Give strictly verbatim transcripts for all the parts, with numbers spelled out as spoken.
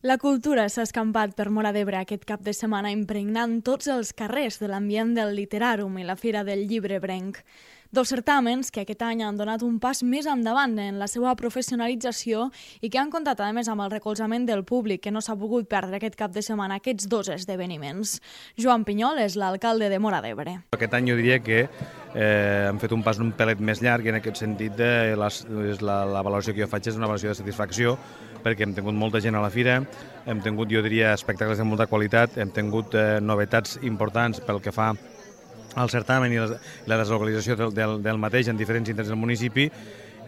La cultura s'ha escampat per Móra d'Ebre aquest cap de setmana impregnant tots els carrers de l'ambient del Literàrum i la Fira del Llibre Ebrenc. Dos certàmens que aquest any han donat un pas més endavant en la seva professionalització i que han comptat a més amb el recolzament del públic que no s'ha pogut perdre aquest cap de setmana aquests dos esdeveniments. Joan Pinyol és l'alcalde de Móra d'Ebre. Aquest any jo diria que eh, hem fet un pas un pelet més llarg i en aquest sentit de les, la, la valoració que jo faig és una valoració de satisfacció perquè hem tingut molta gent a la fira, hem tingut, jo diria, espectacles de molta qualitat, hem tingut eh, novetats importants pel que fa al certamen i la deslocalització del, del, del mateix en diferents indrets del municipi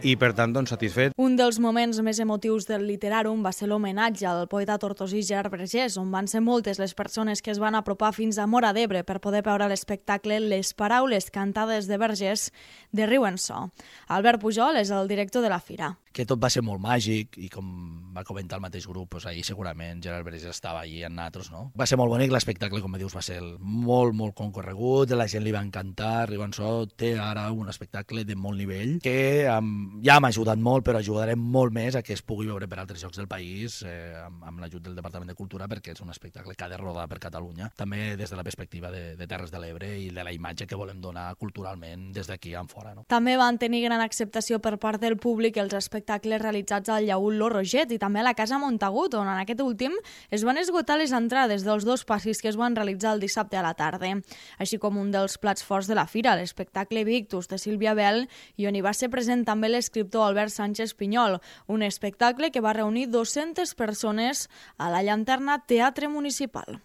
i, per tant, doncs, satisfet. Un dels moments més emotius del Literàrum va ser l'homenatge al poeta tortosí Gerard Vergés, on van ser moltes les persones que es van apropar fins a Móra d'Ebre per poder veure l'espectacle Les paraules cantades de Vergés de Riu en So. Albert Pujol és el director de la fira. Que tot va ser molt màgic i, com va comentar el mateix grup, doncs ahir segurament Gerard Vergés estava allí amb nosaltres, no? Va ser molt bonic, l'espectacle, com dius, va ser molt, molt concorregut, la gent li va encantar, Riu en So té ara un espectacle de molt nivell que um, ja m'ha ajudat molt, però ajudarem molt més a que es pugui veure per altres llocs del país eh, amb, amb l'ajut del Departament de Cultura, perquè és un espectacle que ha de rodar per Catalunya, també des de la perspectiva de, de Terres de l'Ebre i de la imatge que volem donar culturalment des d'aquí en fora, no? També van tenir gran acceptació per part del públic els espectacles espectacles realitzats al Llaüt Lo Roget i també a la Casa Montagut, on en aquest últim es van esgotar les entrades dels dos passis que es van realitzar el dissabte a la tarda, així com un dels plats forts de la fira, l'espectacle Victus de Sílvia Bell, i on hi va ser present també l'escriptor Albert Sánchez Pinyol, un espectacle que va reunir dues-centes persones a la Llanterna Teatre Municipal.